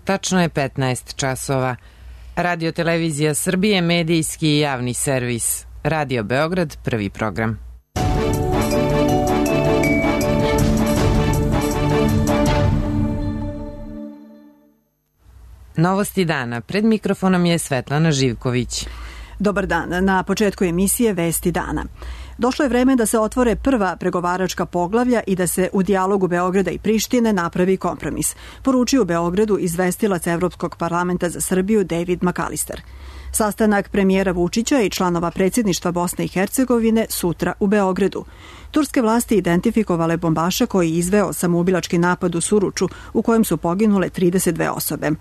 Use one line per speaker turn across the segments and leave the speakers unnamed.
tačno je 15 časova. Radio Televizija Srbije, medijski i javni servis. Radio Beograd, prvi program. Novosti dana. Pred mikrofonom je Svetlana Živković.
Dobar dan. Na početku emisije Vesti dana. Došlo je vreme da se otvore prva pregovaračka poglavlja i da se u dijalogu Beograda i Prištine napravi kompromis, poručio u Beogradu izvestilac Evropskog parlamenta za Srbiju David McAllister. Sastanak premijera Vučića i članova predsjedništva Bosne i Hercegovine sutra u Beogradu. Turske vlasti identifikovale bombaša koji je izveo samoubilački napad u Suruču u kojem su poginule 32 osobe.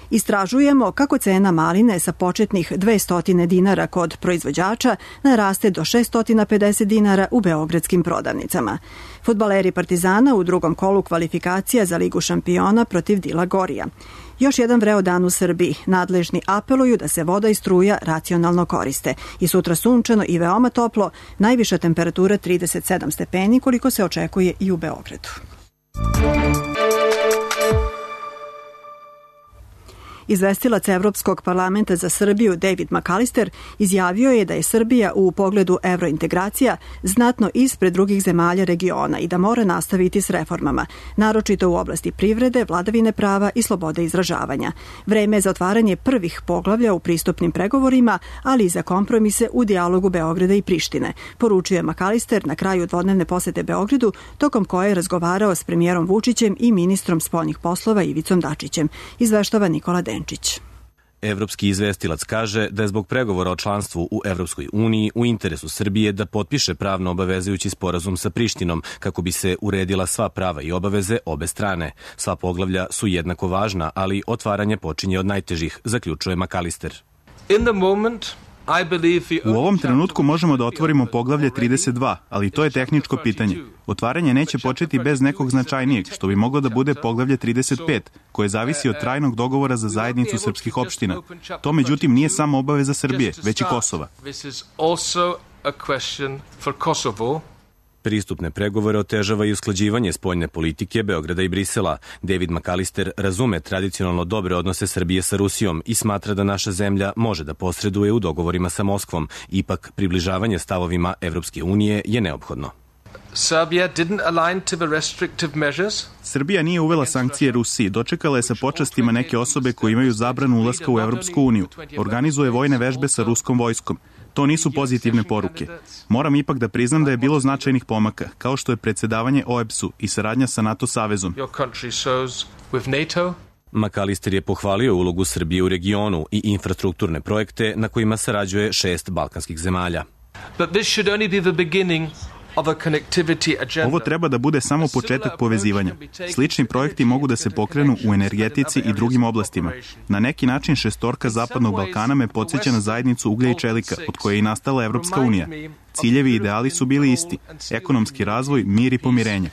Istražujemo kako cena maline sa početnih 200 dinara kod proizvođača naraste do 650 dinara u beogradskim prodavnicama. Fudbaleri Partizana u drugom kolu kvalifikacija za Ligu šampiona protiv Dila Gorija. Još jedan vreo dan u Srbiji. Nadležni apeluju da se voda i struja racionalno koriste. I sutra sunčano i veoma toplo, najviša temperatura 37 stepeni koliko se očekuje i u Beogradu. Izvestilac Evropskog parlamenta za Srbiju David McAllister izjavio je da je Srbija u pogledu evrointegracija znatno ispred drugih zemalja regiona i da mora nastaviti s reformama, naročito u oblasti privrede, vladavine prava i slobode izražavanja. Vreme je za otvaranje prvih poglavlja u pristupnim pregovorima, ali i za kompromise u dijalogu Beograda i Prištine, poručuje McAllister na kraju dvodnevne posete Beogradu, tokom koje je razgovarao s premijerom Vučićem i ministrom spoljnih poslova Ivicom Dačićem, izveštava Nikola Denčić.
Evropski izvestilac kaže da je zbog pregovora o članstvu u Evropskoj uniji u interesu Srbije da potpiše pravno obavezujući sporazum sa Prištinom kako bi se uredila sva prava i obaveze obe strane. Sva poglavlja su jednako važna, ali otvaranje počinje od najtežih, zaključuje McAllister.
U ovom trenutku možemo da otvorimo poglavlje 32, ali to je tehničko pitanje. Otvaranje neće početi bez nekog značajnijeg, što bi moglo da bude poglavlje 35, koje zavisi od trajnog dogovora za zajednicu srpskih opština. To međutim nije samo obaveza Srbije, već i Kosova.
Pristupne pregovore otežava i usklađivanje spoljne politike Beograda i Brisela. David McAllister razume tradicionalno dobre odnose Srbije sa Rusijom i smatra da naša zemlja može da posreduje u dogovorima sa Moskvom. Ipak, približavanje stavovima Evropske unije je neophodno.
Srbija nije uvela sankcije Rusiji, dočekala je sa počastima neke osobe koje imaju zabranu ulaska u Evropsku uniju, organizuje vojne vežbe sa ruskom vojskom. To nisu pozitivne poruke. Moram ipak da priznam da je bilo značajnih pomaka, kao što je predsjedavanje OEBS-u i saradnja sa NATO savezom.
McAllister je pohvalio ulogu Srbije u regionu i infrastrukturne projekte na kojima sarađuje 6 balkanskih zemalja.
Ovo treba da bude samo početak povezivanja. Slični projekti mogu da se pokrenu u energetici i drugim oblastima. Na neki način šestorka Zapadnog Balkana me podsjeća na zajednicu uglja i čelika, od koje je i nastala Evropska unija. Ciljevi i ideali su bili isti. Ekonomski razvoj, mir i pomirenje.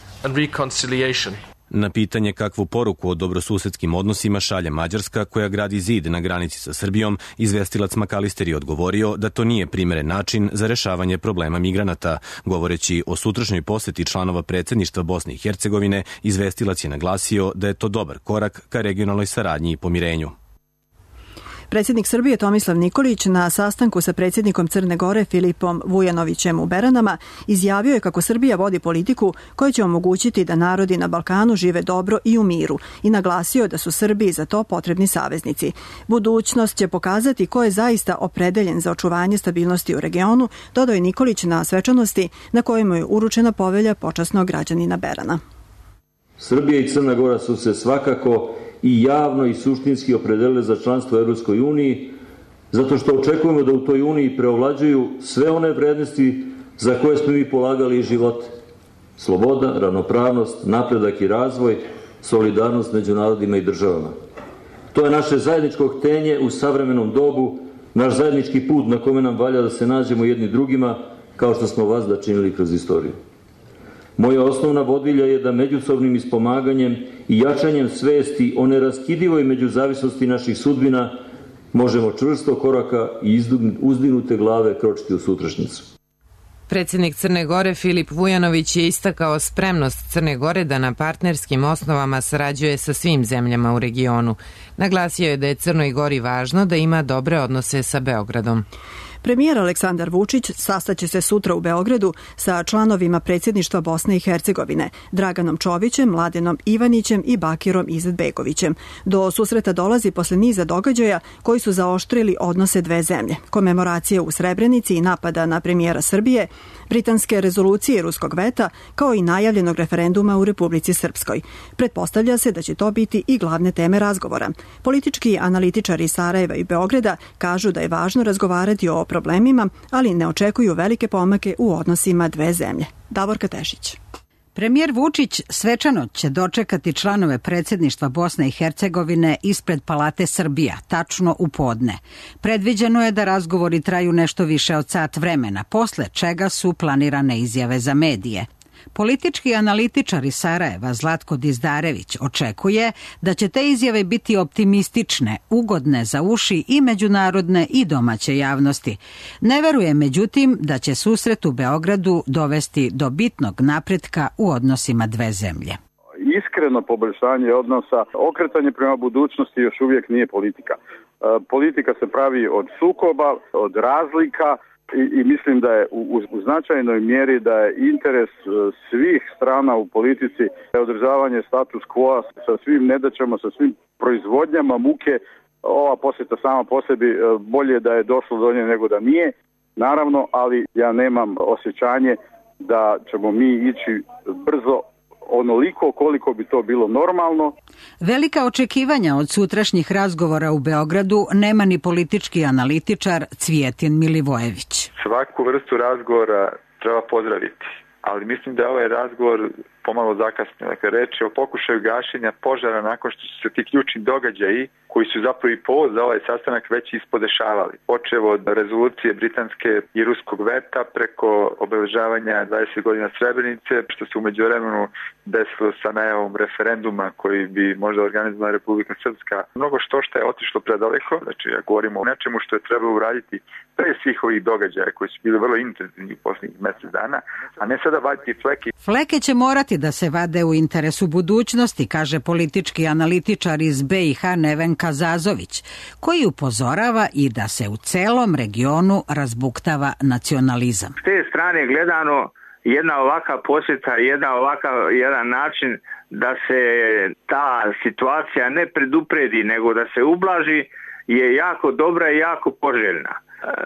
Na pitanje kakvu poruku o dobrosusedskim odnosima šalje Mađarska, koja gradi zid na granici sa Srbijom, izvestilac McAllister je odgovorio da to nije primeren način za rešavanje problema migranata. Govoreći o sutrašnjoj poseti članova predsjedništva Bosne i Hercegovine, izvestilac je naglasio da je to dobar korak ka regionalnoj saradnji i pomirenju.
Predsjednik Srbije Tomislav Nikolić na sastanku sa predsjednikom Crne Gore Filipom Vujanovićem u Beranama izjavio je kako Srbija vodi politiku koja će omogućiti da narodi na Balkanu žive dobro i u miru i naglasio da su Srbiji za to potrebni saveznici. Budućnost će pokazati ko je zaista opredeljen za očuvanje stabilnosti u regionu, dodao je Nikolić na svečanosti na kojemu je uručena povelja počasnog građanina Berana.
Srbija i Crna Gora su se svakako i javno i suštinski opredelile za članstvo u Evropskoj uniji, zato što očekujemo da u toj uniji preovlađuju sve one vrednosti za koje smo mi polagali život. Sloboda, ravnopravnost, napredak i razvoj, solidarnost među narodima i državama. To je naše zajedničko htenje u savremenom dobu, naš zajednički put na kome nam valja da se nađemo jedni drugima, kao što smo vas da činili kroz istoriju. Moja osnovna vodilja je da međusobnim ispomaganjem i jačanjem svesti o neraskidivoj međuzavisnosti naših sudbina možemo čvrsto koraka i uzdignute glave kročiti u sutrašnjicu.
Predsjednik Crne Gore Filip Vujanović je istakao spremnost Crne Gore da na partnerskim osnovama sarađuje sa svim zemljama u regionu. Naglasio je da je Crnoj Gori važno da ima dobre odnose sa Beogradom.
Premijer Aleksandar Vučić sastaće se sutra u Beogradu sa članovima predsjedništva Bosne i Hercegovine, Draganom Čovićem, Mladenom Ivanićem i Bakirom Izetbegovićem. Do susreta dolazi posle niza događaja koji su zaoštrili odnose dve zemlje. Komemoracije u Srebrenici i napada na premijera Srbije, britanske rezolucije ruskog veta, kao i najavljenog referenduma u Republici Srpskoj. Pretpostavlja se da će to biti i glavne teme razgovora. Politički analitičari Sarajeva i Beograda kažu da je važno razgovarati o problemima, ali ne očekuju velike pomake u odnosima dve zemlje. Davorka Tešić.
Premijer Vučić svečano će dočekati članove predsjedništva Bosne i Hercegovine ispred Palate Srbija, tačno u podne. Predviđeno je da razgovori traju nešto više od sat vremena, posle čega su planirane izjave za medije. Politički analitičar iz Sarajeva Zlatko Dizdarević očekuje da će te izjave biti optimistične, ugodne za uši i međunarodne i domaće javnosti. Ne veruje međutim da će susret u Beogradu dovesti do bitnog napretka u odnosima dve zemlje.
Iskreno poboljšanje odnosa, okretanje prema budućnosti još uvijek nije politika. Politika se pravi od sukoba, od razlika, i mislim da je u značajnoj mjeri da je interes svih strana u politici održavanje status quo sa svim nedaćama, sa svim proizvodnjama muke. Ova posjeta sama po sebi bolje da je došlo do nje nego da nije, naravno, ali ja nemam osjećanje da ćemo mi ići brzo onoliko koliko bi to bilo normalno.
Velika očekivanja od sutrašnjih razgovora u Beogradu nema ni politički analitičar Cvijetin Milivojević.
Svaku vrstu razgovora treba pozdraviti, ali mislim da je ovaj razgovor pomalo zakasnio. Dakle, reč je o pokušaju gašenja požara nakon što su se ti ključni događaji koji su zapravo i povod za ovaj sastanak već ispodešavali. Počevo od rezolucije britanske i ruskog veta preko obeležavanja 20 godina Srebrenice, što se u međuvremenu desilo sa najavom referenduma koji bi možda organizovala Republika Srpska. Mnogo što je otišlo predaleko, znači ja govorimo o nečemu što je trebalo uraditi pre svih ovih događaja koji su bili vrlo intenzivni u posljednjih mjesec dana, a ne sada vaditi fleke.
Fleke će morati da se vade u interesu budućnosti, kaže politički analitičar iz BiH Nevenka Zazović, koji upozorava i da se u celom regionu razbuktava nacionalizam.
S te strane gledano, jedna ovaka posjeta, jedan način da se ta situacija ne predupredi, nego da se ublaži, je jako dobra i jako poželjna.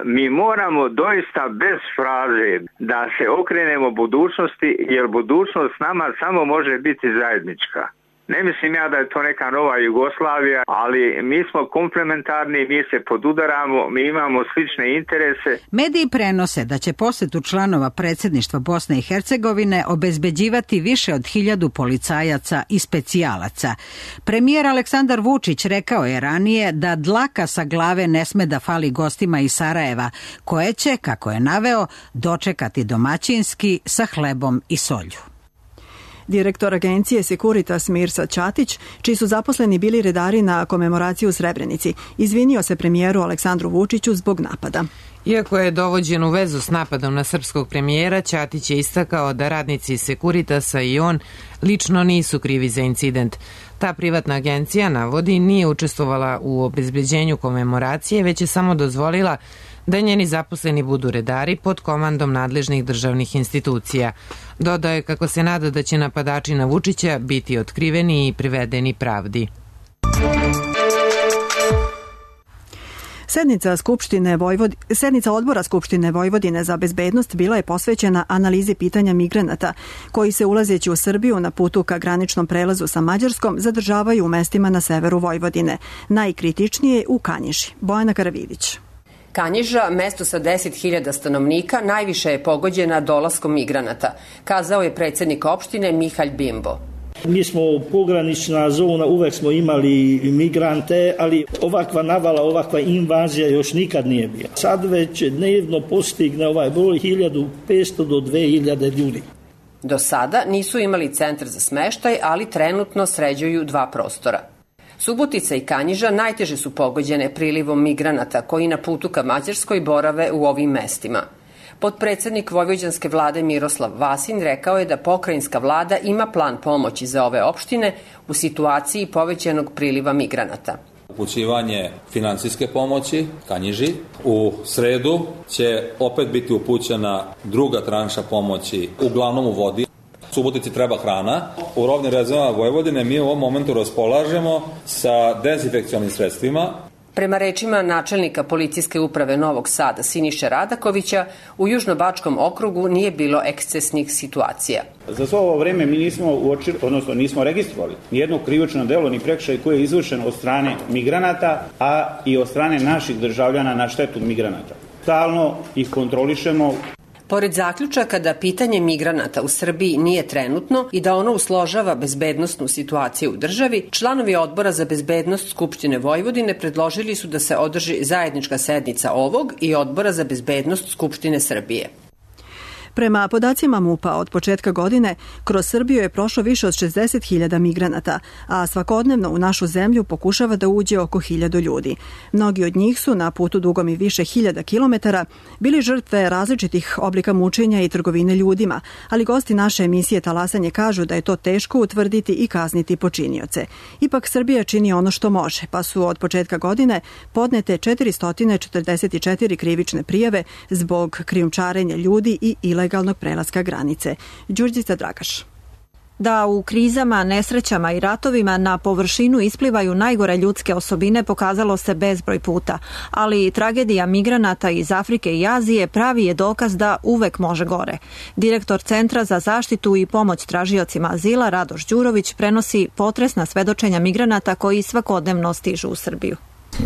Mi moramo doista bez fraze da se okrenemo budućnosti, jer budućnost nama samo može biti zajednička. Ne mislim ja da je to neka nova Jugoslavija, ali mi smo komplementarni, mi se podudaramo, mi imamo slične interese.
Mediji prenose da će posjetu članova predsjedništva Bosne i Hercegovine obezbeđivati više od 1000 policajaca i specijalaca. Premijer Aleksandar Vučić rekao je ranije da dlaka sa glave ne sme da fali gostima iz Sarajeva, koje će, kako je naveo, dočekati domaćinski sa hlebom i solju.
Direktor agencije Securitas Mirsa Ćatić, čiji su zaposleni bili redari na komemoraciji u Srebrenici, izvinio se premijeru Aleksandru Vučiću zbog napada.
Iako je dovođen u vezu s napadom na srpskog premijera, Ćatić je istakao da radnici Securitasa i on lično nisu krivi za incident. Ta privatna agencija, navodi, nije učestvovala u obezbeđenju komemoracije, već je samo dozvolila da njeni zaposleni budu redari pod komandom nadležnih državnih institucija. Dodao je kako se nada da će napadači na Vučića biti otkriveni i privedeni pravdi.
Sednica odbora Skupštine Vojvodine za bezbednost bila je posvećena analizi pitanja migranata koji se ulazeći u Srbiju na putu ka graničnom prelazu sa Mađarskom zadržavaju u mestima na severu Vojvodine. Najkritičnije u Kanjiži. Bojana Karavidić.
Kanjiža, mesto sa 10.000 stanovnika, najviše je pogođena dolaskom migranata, kazao je predsjednik opštine Mihalj Bimbo.
Mi smo pogranična zona, uvek smo imali migrante, ali ovakva navala, ovakva invazija još nikad nije bila. Sad već dnevno postigne ovaj broj 1500 do 2000 ljudi.
Do sada nisu imali centar za smeštaj, ali trenutno sređuju 2 prostora. Subotica i Kanjiža najteže su pogođene prilivom migranata koji na putu ka Mađarskoj borave u ovim mestima. Potpredsednik vojvođanske vlade Miroslav Vasin rekao je da pokrajinska vlada ima plan pomoći za ove opštine u situaciji povećanog priliva migranata.
Upućivanje finansijske pomoći Kanjiži. U sredu će opet biti upućena druga tranša pomoći, uglavnom u vodi. Subotici treba hrana. U robnim rezervama Vojvodine mi u ovom momentu raspolažemo sa dezinfekcionim sredstvima.
Prema rečima načelnika policijske uprave Novog Sada Siniše Radakovića, u Južnobačkom okrugu nije bilo ekscesnih situacija.
Za svo ovo vreme mi nismo registrovali nijedno krivično delo ni prekršaj koji je izvršen od strane migranata, a i od strane naših državljana na štetu migranata. Stalno ih kontrolišemo.
Pored zaključaka da pitanje migranata u Srbiji nije trenutno i da ono usložava bezbednosnu situaciju u državi, članovi Odbora za bezbednost Skupštine Vojvodine predložili su da se održi zajednička sednica ovog i Odbora za bezbednost Skupštine Srbije.
Prema podacima MUP-a od početka godine, kroz Srbiju je prošlo više od 60.000 migranata, a svakodnevno u našu zemlju pokušava da uđe oko 1.000 ljudi. Mnogi od njih su na putu dugom i više hiljada kilometara bili žrtve različitih oblika mučenja i trgovine ljudima, ali gosti naše emisije Talasanje kažu da je to teško utvrditi i kazniti počinioce. Ipak Srbija čini ono što može, pa su od početka godine podnete 444 krivične prijave zbog krijumčarenja ljudi i ilegalnog prelaska granice. Đurđica Dragaš.
Da u krizama, nesrećama i ratovima na površinu isplivaju najgore ljudske osobine pokazalo se bezbroj puta, ali tragedija migranata iz Afrike i Azije pravi je dokaz da uvek može gore. Direktor Centra za zaštitu i pomoć tražiocima azila Radoš Đurović prenosi potresna svedočenja migranata koji svakodnevno stižu u Srbiju.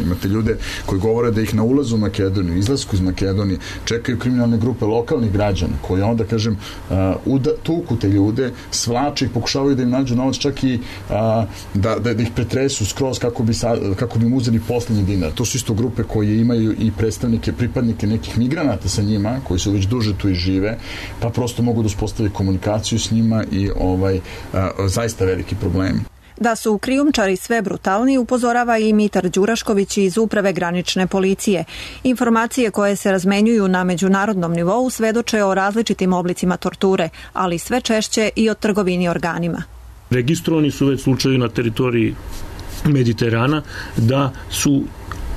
Imate ljude koji govore da ih na ulazu u Makedoniju, izlasku iz Makedonije čekaju kriminalne grupe lokalnih građana koji onda, kažem, tuku te ljude, svlače ih, pokušavaju da im nađu novac, čak i da ih pretresu skroz kako bi im uzeli poslednji dinar. To su isto grupe koje imaju i pripadnike nekih migranata sa njima, koji su već duže tu i žive, pa prosto mogu da uspostave komunikaciju s njima i zaista veliki problemi.
Da su krijumčari sve brutalniji upozorava i Mitar Đurašković iz Uprave granične policije. Informacije koje se razmenjuju na međunarodnom nivou svedoče o različitim oblicima torture, ali sve češće i o trgovini organima.
Registrovani su već slučajevi na teritoriji Mediterana da su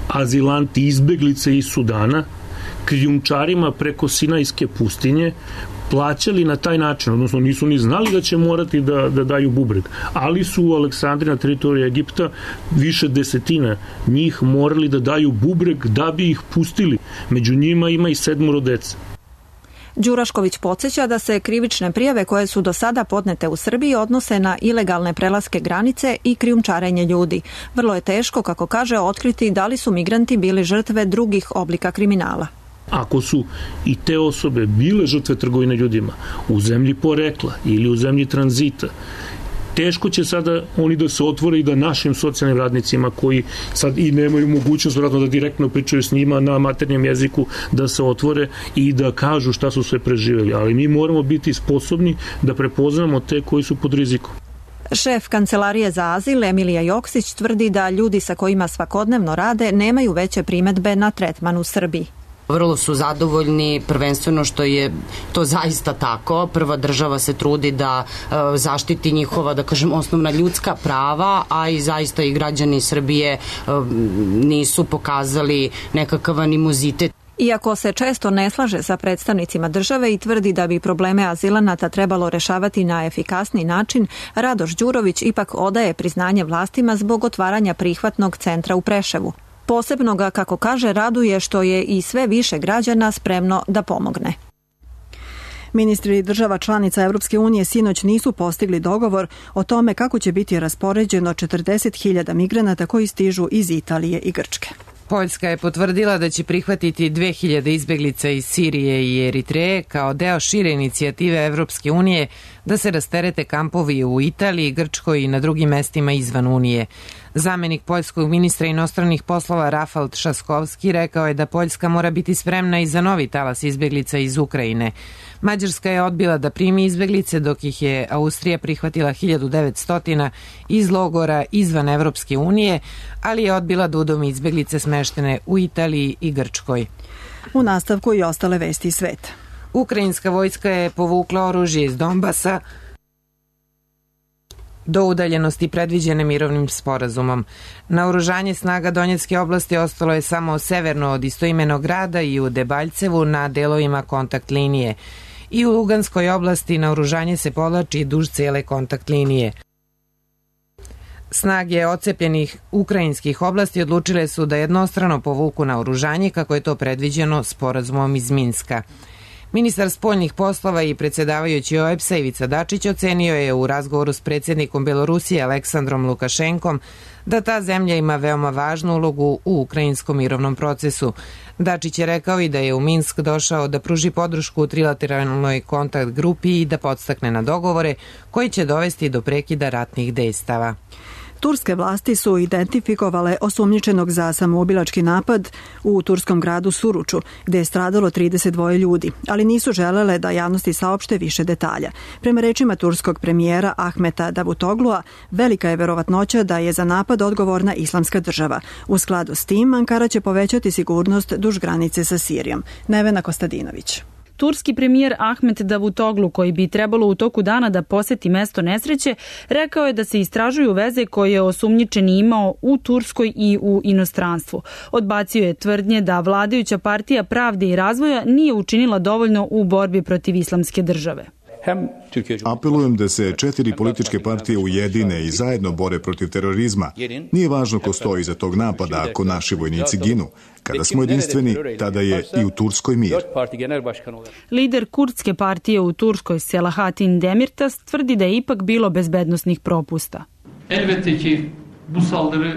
azilanti izbeglice iz Sudana krijumčarima preko Sinajske pustinje plaćali na taj način, odnosno nisu ni znali da će morati da daju bubreg, ali su u Aleksandriji na teritoriji Egipta više desetina njih morali da daju bubreg da bi ih pustili. Među njima ima i 7 dece.
Đurašković podsjeća da se krivične prijave koje su do sada podnete u Srbiji odnose na ilegalne prelaske granice i krijumčarenje ljudi. Vrlo je teško, kako kaže, otkriti da li su migranti bili žrtve drugih oblika kriminala.
Ako su i te osobe bile žrtve trgovine ljudima u zemlji porekla ili u zemlji tranzita, teško će sada oni da se otvore i da našim socijalnim radnicima koji sad i nemaju mogućnost vjerojatno da direktno pričaju s njima na maternjem jeziku, da se otvore i da kažu šta su sve preživjeli. Ali mi moramo biti sposobni da prepoznamo te koji su pod rizikom.
Šef Kancelarije za azil Emilija Joksić tvrdi da ljudi sa kojima svakodnevno rade nemaju veće primedbe na tretman u Srbiji.
Vrlo su zadovoljni, prvenstveno što je to zaista tako. Prva država se trudi da zaštiti njihova, da kažem, osnovna ljudska prava, a i zaista i građani Srbije nisu pokazali nekakav animozitet.
Iako se često ne slaže sa predstavnicima države i tvrdi da bi probleme azilanata trebalo rešavati na efikasni način, Radoš Đurović ipak odaje priznanje vlastima zbog otvaranja prihvatnog centra u Preševu. Posebno ga, kako kaže, raduje što je i sve više građana spremno da pomogne.
Ministri država članica Evropske unije sinoć nisu postigli dogovor o tome kako će biti raspoređeno 40.000 migranata koji stižu iz Italije i Grčke.
Poljska je potvrdila da će prihvatiti 2000 izbeglica iz Sirije i Eritreje kao deo šire inicijative Evropske unije da se rasterete kampovi u Italiji, Grčkoj i na drugim mestima izvan Unije. Zamenik poljskog ministra inostranih poslova Rafal Trzaskowski rekao je da Poljska mora biti spremna i za novi talas izbeglica iz Ukrajine. Mađarska je odbila da primi izbeglice, dok ih je Austrija prihvatila 1900 iz logora izvan Evropske unije, ali je odbila da udomi izbeglice smeštene u Italiji i Grčkoj.
U nastavku i ostale vesti iz sveta.
Ukrajinska vojska je povukla oružje iz Donbasa do udaljenosti predviđene mirovnim sporazumom. Naoružanje snaga Donjecke oblasti ostalo je samo severno od istoimenog grada i u Debaljcevu na delovima kontakt linije. I u Luganskoj oblasti naoružanje se povlači duž cele kontakt linije. Snage ocepljenih ukrajinskih oblasti odlučile su da jednostrano povuku naoružanje kako je to predviđeno sporazumom iz Minska. Ministar spoljnih poslova i predsjedavajući OEBS-a Ivica Dačić ocenio je u razgovoru s predsjednikom Belorusije Aleksandrom Lukašenkom da ta zemlja ima veoma važnu ulogu u ukrajinskom mirovnom procesu. Dačić je rekao i da je u Minsk došao da pruži podršku u trilateralnoj kontakt grupi i da podstakne na dogovore koji će dovesti do prekida ratnih dejstava.
Turske vlasti su identifikovale osumnjičenog za samoubilački napad u turskom gradu Suruču, gde je stradalo 32 ljudi, ali nisu želele da javnosti saopšte više detalja. Prema rečima turskog premijera Ahmeta Davutoglua, velika je verovatnoća da je za napad odgovorna Islamska država. U skladu s tim, Ankara će povećati sigurnost duž granice sa Sirijom. Nevena Kostadinović.
Turski premijer Ahmet Davutoglu, koji bi trebalo u toku dana da poseti mesto nesreće, rekao je da se istražuju veze koje je osumnjičeni imao u Turskoj i u inostranstvu. Odbacio je tvrdnje da vladajuća partija Pravde i razvoja nije učinila dovoljno u borbi protiv Islamske države.
Apelujem da se 4 političke partije ujedine i zajedno bore protiv terorizma. Nije važno ko stoji iza tog napada ako naši vojnici ginu. Kada smo jedinstveni, tada je i u Turskoj mir.
Lider kurdske partije u Turskoj Selahattin Demirtas tvrdi da je ipak bilo bezbednosnih propusta.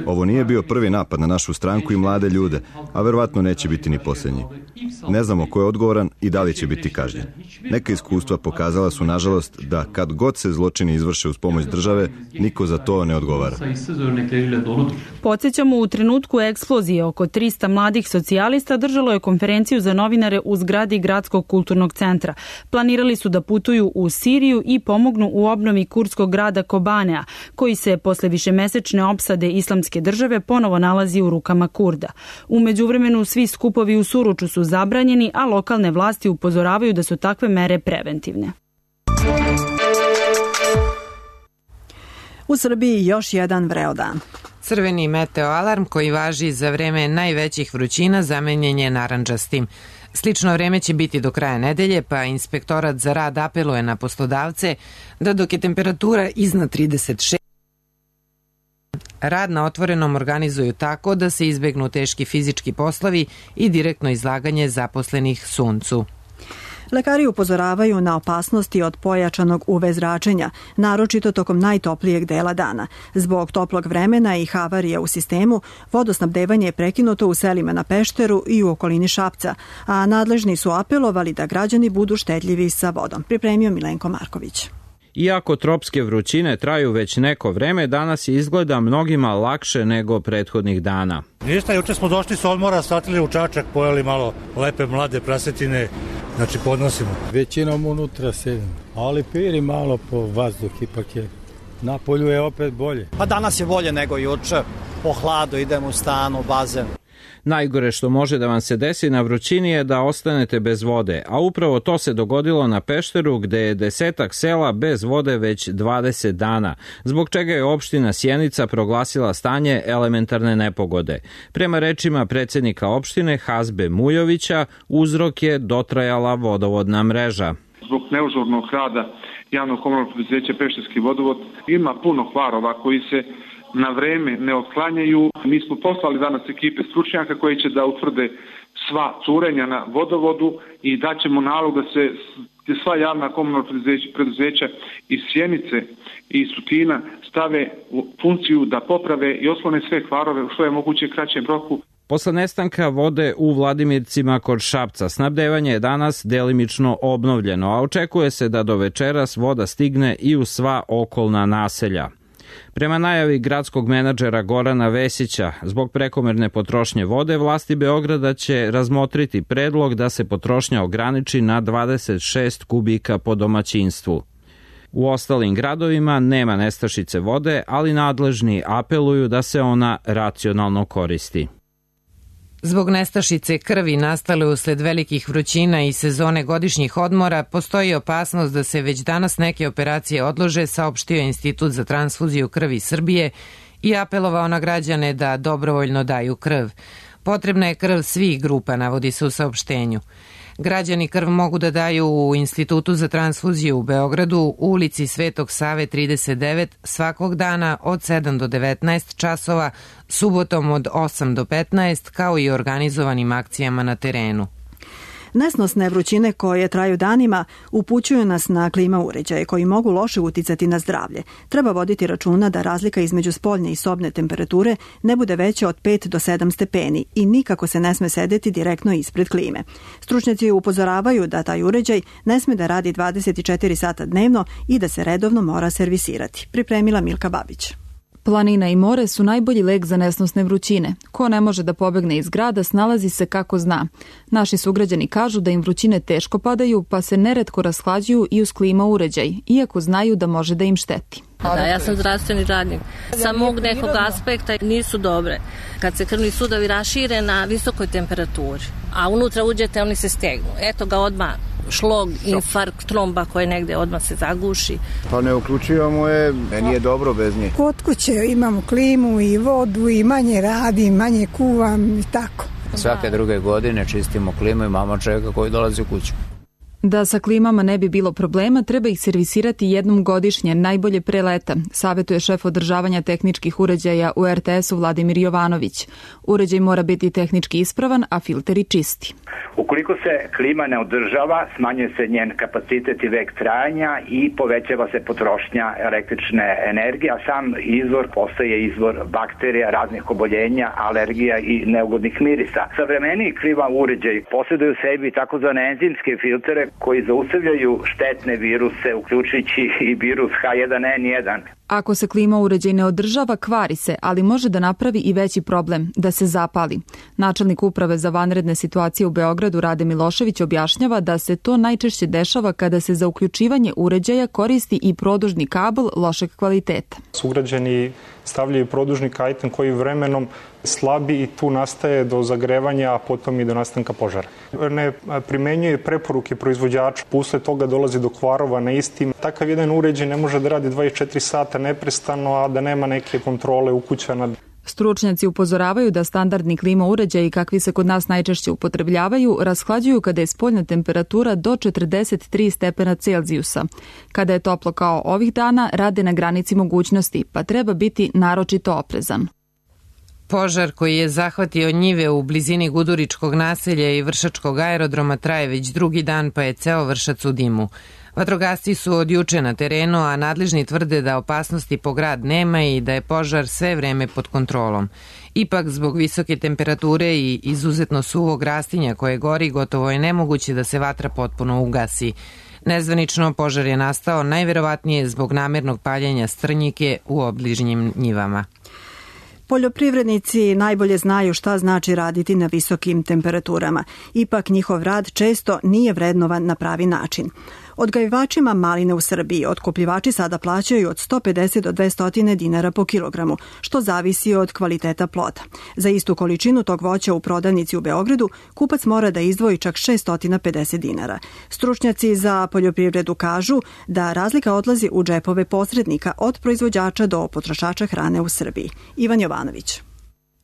Ovo nije bio prvi napad na našu stranku i mlade ljude, a verovatno neće biti ni posljednji. Ne znamo ko je odgovoran i da li će biti kažnjen. Neka iskustva pokazala su, nažalost, da kad god se zločini izvrše uz pomoć države, niko za to ne odgovara.
Podsjećamo, u trenutku eksplozije oko 300 mladih socijalista držalo je konferenciju za novinare u zgradi Gradskog kulturnog centra. Planirali su da putuju u Siriju i pomognu u obnovi kurdskog grada Kobanea, koji se posle višemesečne opsade Islamske države ponovo nalazi u rukama Kurda. U međuvremenu svi skupovi u Suruču su zabranjeni, a lokalne vlasti upozoravaju da su takve mere preventivne.
U Srbiji još jedan vreo dan.
Crveni meteoalarm koji važi za vreme najvećih vrućina zamenjen je narandžastim. Slično vreme će biti do kraja nedelje, pa Inspektorat za rad apeluje na poslodavce da dok je temperatura iznad 36, rad na otvorenom organizuju tako da se izbegnu teški fizički poslovi i direktno izlaganje zaposlenih suncu.
Lekari upozoravaju na opasnosti od pojačanog UV zračenja, naročito tokom najtoplijeg dela dana. Zbog toplog vremena i havarija u sistemu, vodosnabdevanje je prekinuto u selima na Pešteru i u okolini Šapca, a nadležni su apelovali da građani budu štedljivi sa vodom. Pripremio Milenko Marković.
Iako tropske vrućine traju već neko vreme, danas izgleda mnogima lakše nego prethodnih dana.
Ništa, juče smo došli s odmora, statili u Čačak, pojeli malo lepe mlade prasetine, znači podnosimo.
Većinom unutra sedim, ali piri malo po vazduh, ipak je. Na polju je opet bolje.
Pa danas je bolje nego juče, po hladu idemo u stan, u bazen.
Najgore što može da vam se desi na vrućini je da ostanete bez vode, a upravo to se dogodilo na Pešteru gde je 10 sela bez vode već 20 dana, zbog čega je opština Sjenica proglasila stanje elementarne nepogode. Prema rečima predsjednika opštine Hazbe Mujovića, uzrok je dotrajala vodovodna mreža.
Zbog neažurnog rada javnog komunalnog preduzeća Pešterski vodovod ima puno kvarova koji se na vreme ne otklanjaju. Mi smo poslali danas ekipe stručnjaka koji će da utvrde sva curenja na vodovodu i daćemo nalog da se sva javna komunalna preduzeća iz Sjenice i iz Tutina stave u funkciju da poprave i otklone sve kvarove u što je moguće kraćem roku.
Posle nestanka vode u Vladimircima kod Šapca, snabdevanje je danas delimično obnovljeno, a očekuje se da do večeras voda stigne i u sva okolna naselja. Prema najavi gradskog menadžera Gorana Vesića, zbog prekomerne potrošnje vode, vlasti Beograda će razmotriti predlog da se potrošnja ograniči na 26 kubika po domaćinstvu. U ostalim gradovima nema nestašice vode, ali nadležni apeluju da se ona racionalno koristi.
Zbog nestašice krvi nastale usled velikih vrućina i sezone godišnjih odmora, postoji opasnost da se već danas neke operacije odlože, saopštio Institut za transfuziju krvi Srbije i apelovao na građane da dobrovoljno daju krv. Potrebna je krv svih grupa, navodi se u saopštenju. Građani krv mogu da daju u Institutu za transfuziju u Beogradu, u ulici Svetog Save 39, svakog dana od 7 do 19 časova, subotom od 8 do 15, kao i organizovanim akcijama na terenu.
Nesnosne vrućine koje traju danima upućuju nas na klima uređaje koji mogu loše uticati na zdravlje. Treba voditi računa da razlika između spoljne i sobne temperature ne bude veća od 5 do 7 stepeni i nikako se ne sme sedeti direktno ispred klime. Stručnjaci upozoravaju da taj uređaj ne sme da radi 24 sata dnevno i da se redovno mora servisirati. Pripremila Milka Babić.
Planina i more su najbolji lek za nesnosne vrućine. Ko ne može da pobegne iz grada, snalazi se kako zna. Naši sugrađani kažu da im vrućine teško padaju, pa se neretko rashlađuju i uz klima uređaj, iako znaju da može da im šteti.
Da, ja sam zdravstveni radnik. Sa mog nekog aspekta nisu dobre. Kad se krvni sudovi rašire na visokoj temperaturi, a unutra uđete, oni se stegnu. Eto ga odmah šlog, infarkt, tromba koje negde odmah se zaguši.
Pa ne uključivamo je, meni je dobro bez nje.
Kod kuće imamo klimu i vodu i manje radim, manje kuvam i tako.
Svake druge godine čistimo klimu i mama čeka koji dolazi u kuću.
Da sa klimama ne bi bilo problema, treba ih servisirati jednom godišnje, najbolje pre leta, savjetuje šef održavanja tehničkih uređaja u RTS-u Vladimir Jovanović. Uređaj mora biti tehnički ispravan, a filteri čisti.
Ukoliko se klima ne održava, smanjuje se njen kapacitet i vek trajanja i povećava se potrošnja električne energije, a sam izvor postaje izvor bakterija, raznih oboljenja, alergija i neugodnih mirisa. Savremeniji klima uređaji posjeduju u sebi takozvane enzimske filtere koji zaustavljaju štetne viruse, uključujući i virus H1N1.
Ako se klima uređaj ne održava, kvari se, ali može da napravi i veći problem, da se zapali. Načelnik uprave za vanredne situacije u Beogradu Rade Milošević objašnjava da se to najčešće dešava kada se za uključivanje uređaja koristi i produžni kabel lošeg kvaliteta.
Sugrađani stavljaju produžni kajtan koji vremenom slabi i tu nastaje do zagrevanja, a potom i do nastanka požara. Ne primenjuje preporuke proizvođača, posle toga dolazi do kvarova na istim. Takav jedan uređaj ne može da radi 24 sata neprestano, a da nema neke kontrole ukućana.
Stručnjaci upozoravaju da standardni klima uređaji kakvi se kod nas najčešće upotrebljavaju rashlađuju kada je spoljna temperatura do 43 stepena Celzijusa. Kada je toplo kao ovih dana, rade na granici mogućnosti, pa treba biti naročito oprezan.
Požar koji je zahvatio njive u blizini Guduričkog naselja i Vršačkog aerodroma traje već drugi dan, pa je ceo Vršac u dimu. Vatrogasci su od juče na terenu, a nadležni tvrde da opasnosti po grad nema i da je požar sve vreme pod kontrolom. Ipak, zbog visoke temperature i izuzetno suvog rastinja koje gori, gotovo je nemoguće da se vatra potpuno ugasi. Nezvanično, požar je nastao najverovatnije zbog namernog paljenja strnjike u obližnjim njivama.
Poljoprivrednici najbolje znaju šta znači raditi na visokim temperaturama. Ipak njihov rad često nije vrednovan na pravi način. Odgajivačima maline u Srbiji otkupljivači sada plaćaju od 150 do 200 dinara po kilogramu, što zavisi od kvaliteta ploda. Za istu količinu tog voća u prodavnici u Beogradu kupac mora da izdvoji čak 650 dinara. Stručnjaci za poljoprivredu kažu da razlika odlazi u džepove posrednika od proizvođača do potrošača hrane u Srbiji. Ivan Jovanović.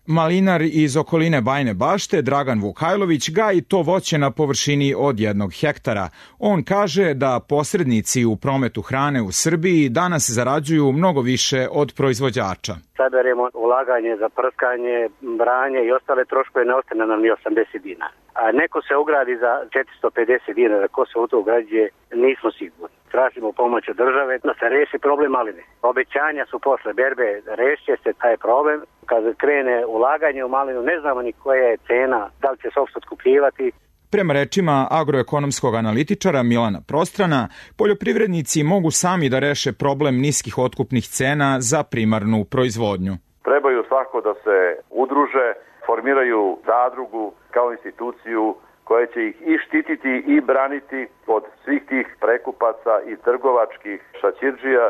Malinar iz okoline Bajine Bašte, Dragan Vukajlović, gaji to voće na površini od 1 hektara. On kaže da posrednici u prometu hrane u Srbiji danas zarađuju mnogo više od proizvođača.
Saberemo ulaganje za prskanje, branje i ostale troškove, ne ostane nam ni 80 dinara. A neko se ugradi za 450 dinara, ko se u to ugrađuje, nismo sigurni. Tražimo pomoć od države da se reši problem maline. Obećanja su posle berbe, rešće se taj problem. Kad krene ulaganje u malinu, ne znamo ni koja je cena, da li će se uopšte otkupljivati.
Prema rečima agroekonomskog analitičara Milana Prostrana, poljoprivrednici mogu sami da reše problem niskih otkupnih cena za primarnu proizvodnju.
Trebaju svako da se udruže, formiraju zadrugu kao instituciju koja će ih i štititi i braniti od svih tih prekupaca i trgovačkih šaćirdžija.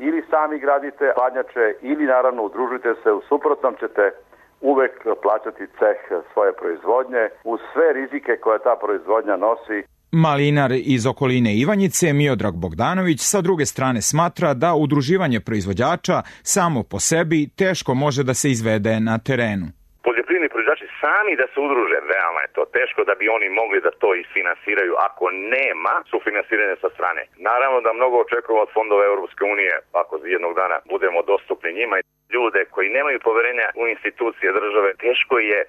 Ili sami gradite hladnjače ili naravno udružite se, u suprotnom ćete uvek plaćati ceh svoje proizvodnje uz sve rizike koje ta proizvodnja nosi.
Malinar iz okoline Ivanjice, Miodrag Bogdanović, sa druge strane smatra da udruživanje proizvođača samo po sebi teško može da se izvede na terenu.
Poljoprivredni proizvođači sami da se udruže, veoma je to teško da bi oni mogli da to isfinansiraju ako nema sufinansiranja sa strane. Naravno da mnogo očekujemo od fondova Europske unije ako jednog dana budemo dostupni njima. Ljude koji nemaju poverenja u institucije države, teško je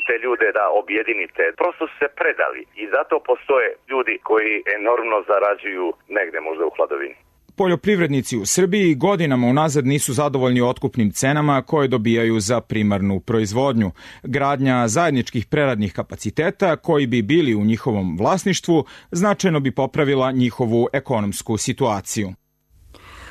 te ljude da objedinite. Prosto su se predali i zato postoje ljudi koji enormno zarađuju negde možda u hladovini.
Poljoprivrednici u Srbiji godinama unazad nisu zadovoljni otkupnim cenama koje dobijaju za primarnu proizvodnju. Gradnja zajedničkih preradnih kapaciteta koji bi bili u njihovom vlasništvu značajno bi popravila njihovu ekonomsku situaciju.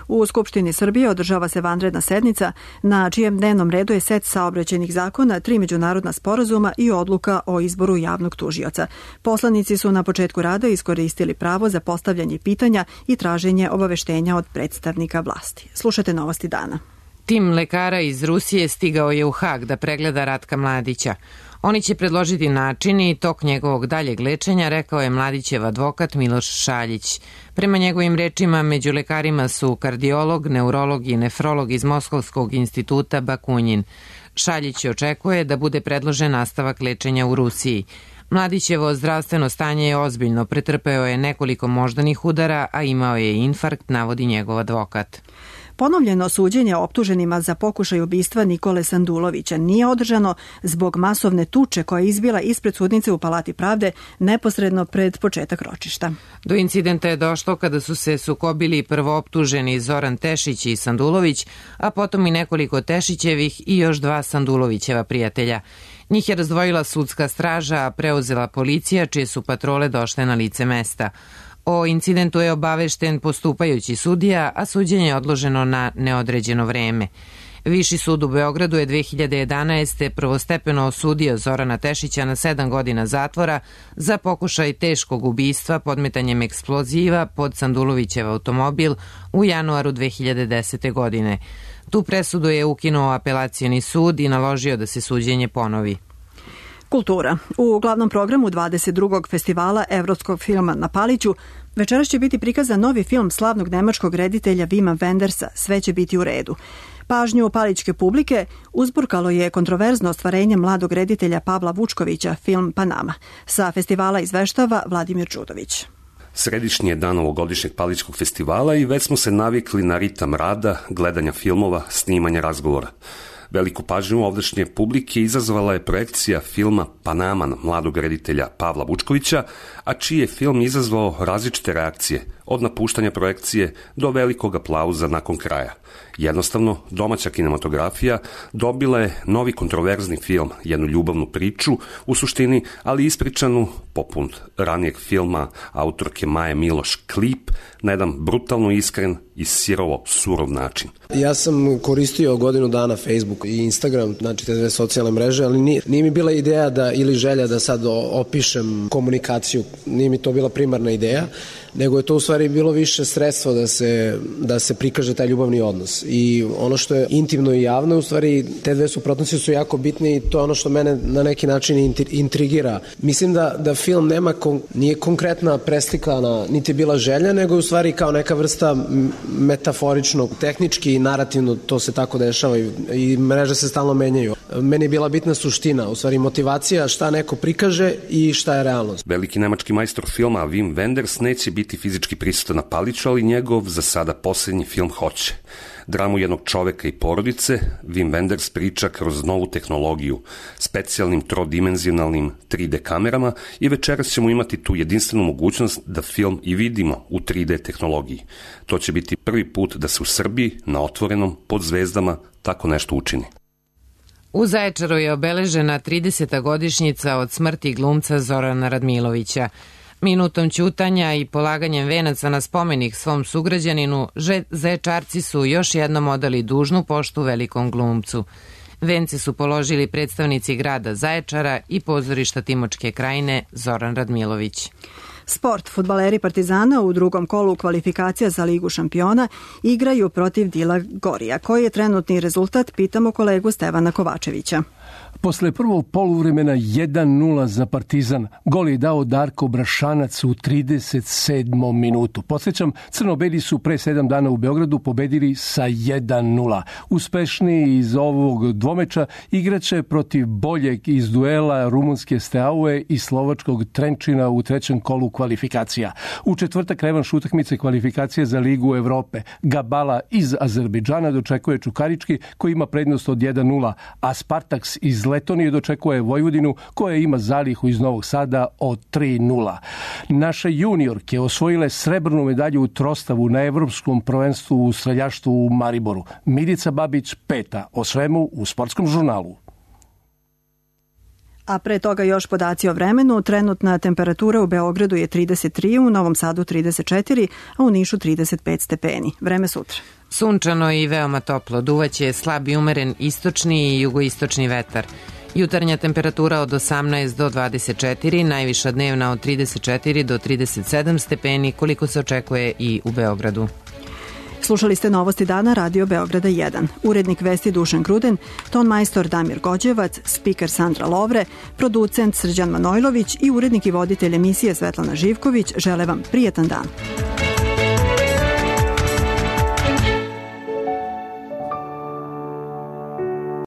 U Skupštini Srbije održava se vanredna sednica na čijem dnevnom redu je set saobraćajnih zakona, 3 međunarodna sporazuma i odluka o izboru javnog tužioca. Poslanici su na početku rada iskoristili pravo za postavljanje pitanja i traženje obaveštenja od predstavnika vlasti. Slušajte novosti dana.
Tim lekara iz Rusije stigao je u Hag da pregleda Ratka Mladića. Oni će predložiti način i tok njegovog daljeg lečenja, rekao je Mladićev advokat Miloš Šaljić. Prema njegovim rečima, među lekarima su kardiolog, neurolog i nefrolog iz Moskovskog instituta Bakunjin. Šaljić očekuje da bude predložen nastavak lečenja u Rusiji. Mladićevo zdravstveno stanje je ozbiljno, pretrpeo je nekoliko moždanih udara, a imao je infarkt, navodi njegov advokat.
Ponovljeno suđenje optuženima za pokušaj ubistva Nikole Sandulovića nije održano zbog masovne tuče koja je izbila ispred sudnice u Palati pravde neposredno pred početak ročišta.
Do incidenta je došlo kada su se sukobili prvooptuženi Zoran Tešić i Sandulović, a potom i nekoliko Tešićevih i još 2 Sandulovićeva prijatelja. Njih je razdvojila sudska straža, a preuzela policija, čije su patrole došle na lice mesta. O incidentu je obavešten postupajući sudija, a suđenje je odloženo na neodređeno vreme. Viši sud u Beogradu je 2011. prvostepeno osudio Zorana Tešića na 7 godina zatvora za pokušaj teškog ubistva podmetanjem eksploziva pod Sandulovićev automobil u januaru 2010. godine. Tu presudu je ukinuo apelacioni sud i naložio da se suđenje ponovi.
Kultura. U glavnom programu 22. festivala Evropskog filma na Paliću večeras će biti prikazan novi film slavnog nemačkog reditelja Wima Wendersa Sve će biti u redu. Pažnju palićke publike uzburkalo je kontroverzno ostvarenje mladog reditelja Pavla Vučkovića, film Panama. Sa festivala izveštava Vladimir Đudović.
Središnji je dan ovogodišnjeg Palićkog festivala i već smo se navikli na ritam rada, gledanja filmova, snimanja razgovora. Veliku pažnju ovdašnje publike izazvala je projekcija filma Panama mladog reditelja Pavla Vučkovića, a čiji je film izazvao različite reakcije, od napuštanja projekcije do velikog aplauza nakon kraja. Jednostavno, domaća kinematografija dobila je novi kontroverzni film, jednu ljubavnu priču, u suštini, ali ispričanu, poput ranijeg filma autorke Maje Miloš Klip, na jedan brutalno iskren i sirovo surov način.
Ja sam koristio godinu dana Facebook i Instagram, znači te dve socijalne mreže, ali nije mi bila ideja ili želja da sad opišem komunikaciju, nije mi to bila primarna ideja, nego je to u stvari bilo više sredstvo da se prikaže taj ljubavni odnos. I ono što je intimno i javno, u stvari te dve suprotnosti su jako bitne i to je ono što mene na neki način intrigira. Mislim da film nije konkretna preslikana, niti je bila želja, nego je u stvari kao neka vrsta metaforičnog, tehnički i narativno to se tako dešava i mreže se stalno menjaju. Meni je bila bitna suština, u stvari motivacija šta neko prikaže i šta je realnost.
Veliki nemački majstor filma Wim Wenders neće biti fizički prisutan na Paliću, ali njegov za sada posljednji film hoće. Dramu jednog čoveka i porodice Wim Wenders priča kroz novu tehnologiju, specijalnim trodimenzionalnim 3D kamerama i večeras ćemo imati tu jedinstvenu mogućnost da film i vidimo u 3D tehnologiji. To će biti prvi put da se u Srbiji na otvorenom pod zvezdama tako nešto učini.
U Zaječaru je obeležena 30. godišnjica od smrti glumca Zorana Radmilovića. Minutom ćutanja i polaganjem venaca na spomenik svom sugrađaninu, Zaječarci su još jednom odali dužnu poštu velikom glumcu. Vence su položili predstavnici grada Zaječara i pozorišta Timočke krajine Zoran Radmilović.
Sport. Fudbaleri Partizana u drugom kolu kvalifikacija za Ligu šampiona igraju protiv Dila Gorija. Koji je trenutni rezultat, pitamo kolegu Stevana Kovačevića.
Posle prvog poluvremena 1-0 za Partizan. Gol je dao Darko Brašanac u 37. minutu. Podsjećam, crno-beli su pre 7 dana u Beogradu pobedili sa 1-0. Uspešniji iz ovog dvomeča igraće protiv boljeg iz duela rumunske Steaue i slovačkog Trenčina u trećem kolu kvalifikacija. U četvrtak revanš utakmice kvalifikacije za Ligu Evrope. Gabala iz Azerbejdžana dočekuje Čukarički koji ima prednost od 1-0, a Spartaks iz Letonije dočekuje Vojvodinu koja ima zalihu iz Novog Sada od 3-0. Naše juniorke osvojile srebrnu medalju u trostavu na Evropskom prvenstvu u streljaštvu u Mariboru. Milica Babić 5. O svemu u Sportskom žurnalu.
A pre toga još podaci o vremenu. Trenutna temperatura u Beogradu je 33, u Novom Sadu 34, a u Nišu 35 stepeni. Vreme sutra.
Sunčano i veoma toplo. Duvaće slab i umeren istočni i jugoistočni vetar. Jutarnja temperatura od 18 do 24, najviša dnevna od 34 do 37 stepeni, koliko se očekuje i u Beogradu.
Slušali ste Novosti dana Radio Beograda 1. Urednik vesti Dušan Gruden, ton majstor Damir Gođevac, spiker Sandra Lovre, producent Srđan Manojlović i urednik i voditelj emisije Svetlana Živković žele vam prijetan dan.